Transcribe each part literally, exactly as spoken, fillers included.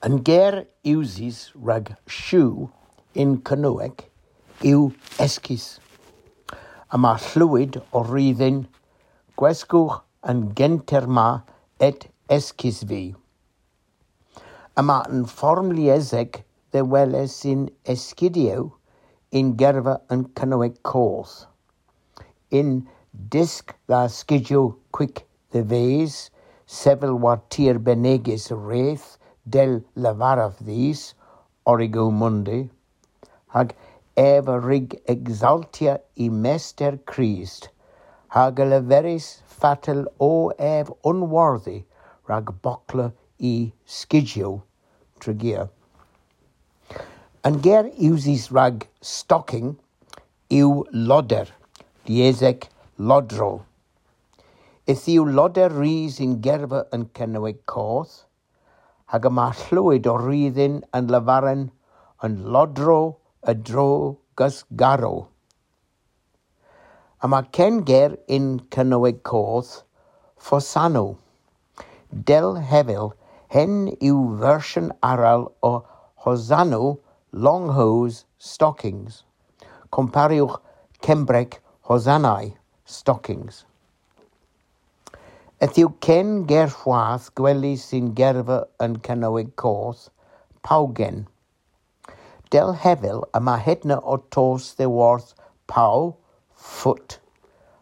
An ger usys rag shoe yn Kernewek yw eskys. Yma hlow a ri dhyn, gweskewgh an genter ma, et eskys vy. Yma an form liesek dhe weles yn Eskidyow yn gerva an Kernewek Koth. Yn dysk dha skydyow kwik dhe-ves, sevel war tir benegys reth dell lavarav dhis, Origo Mundi, hag ev a wrug eksaltya y Mester Krist, hag a leveris fatel o ev unwardhi rag bokla y skydyow Tregear. An ger usys rag stocking yw loder, liesek lodro. Yth yw loder ris yn gerva an Kernewek Koth, hag yma hlow a ri dhyn an lavaren an lodro a-dro gas garow. Yma ken ger yn Kernewek Koth, fosanow. Dell hevel, henn yw versyon arall a hosanow, long hose stockings. Komparewgh Kembrek hosanau, stockings. Yth yw ken ger hwath gwelys yn gerva an Kernewek Koth, pawgen. Dell hevel yma hedna ow tos dhyworth paw, foot,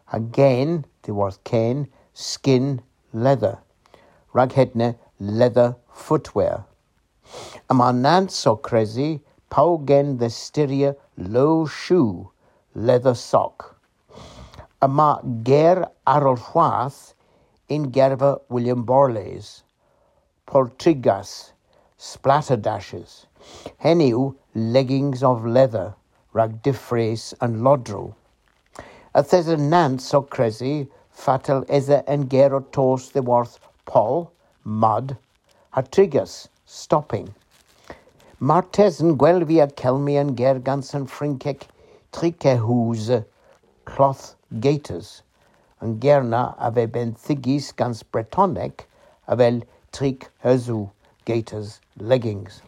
ha gen, dhyworth ken, skin, leather. Rag hedna, leather footwear. Yma nans ow kresi pawgen dhe styrya low shoe, leather sock. Yma ger arall hwath yn gerva William Borlase, portrigas, splaterdashes. Henn yw leggings of leather, rag difres an lodro. Yth esa nans ow kresi fatel esa an ger ow tos dhyworth poll, mud, ha trigas, stopping. Martesen gwell via kelmi an ger gans an Frynkek triquehouses, cloth gaiters. An ger na a veu benthegys gans Bretonek avel triquehouses, gaiters, leggings.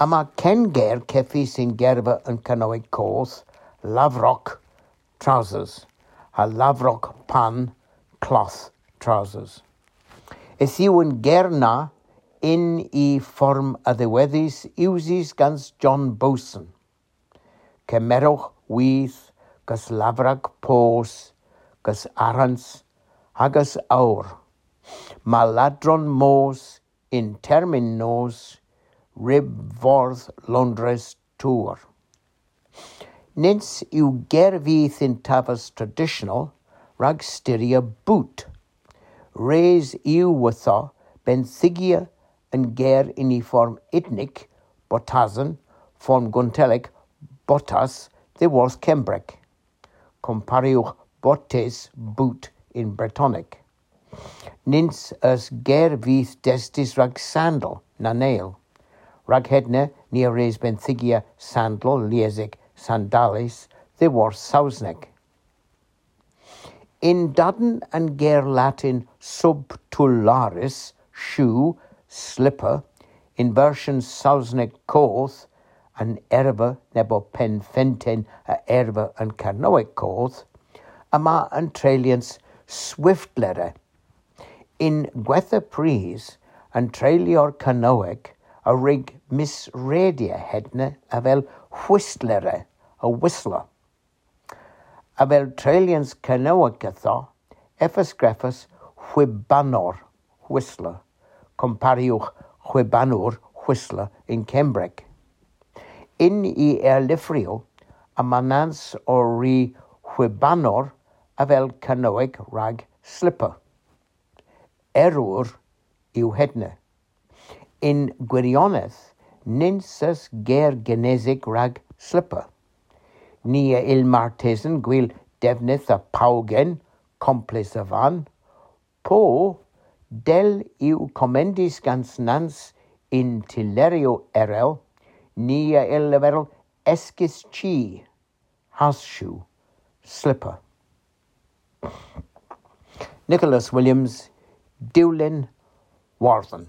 Yma ken ger kevys yn gerva an Kernewek Koth, lavrok, trousers, ha lavrok pan, cloth trousers. Yth yw an ger na yn y form a dhiwedhys usys gans John Boson. Kemerewgh with gas lavrok poos, gas arghans, ha gas owr. Yma ladron moos yn termyn nos, ryb fordh Loundres Tour. Nyns yw ger vyth yn taves tradisyonel rag styrya boot. Res yw ytho benthegya an ger yn y form unnik, botasen, form Guntelek, botas, dhyworth Kembrek. Komparewgh bottes, boot, yn Bretonek. Nyns eus ger vyth testys rag sandal, na neyl. Rag hedna ni a wrug benthegya sandal, liesek sandales, dhyworth Sowsnek. Yn-dann an ger Latin subtularis, shoe, slipper, yn versyon Sowsnek Koth, an erva nebo penn-fenten a erva an Kernewek Koth, yma an treylyans swiftlere. Yn gwettha prys, an treylyer Kernewek a wrug misredya hedna avel whistlere, a whistler. Avel treylyans Kernewek ytho, ev a skrifas hwibanor, whistler, komparewgh hwibanor, whistler, yn Kembrek. Yn y erlyvrow, yma nans ow ri hwibanor avel Kernewek rag slipper. Error yw hedna. Yn gwirionedh, nyns eus ger genesik rag slipper. Ni a yll martesen gul devnydh a pawgen, kompleth a van, po, dell yw komendys gans nans yn tylleryow erel, ni a yll leverel eskys chi, horseshoe, slipper. Nicholas Williams, Diwlin Wardhen.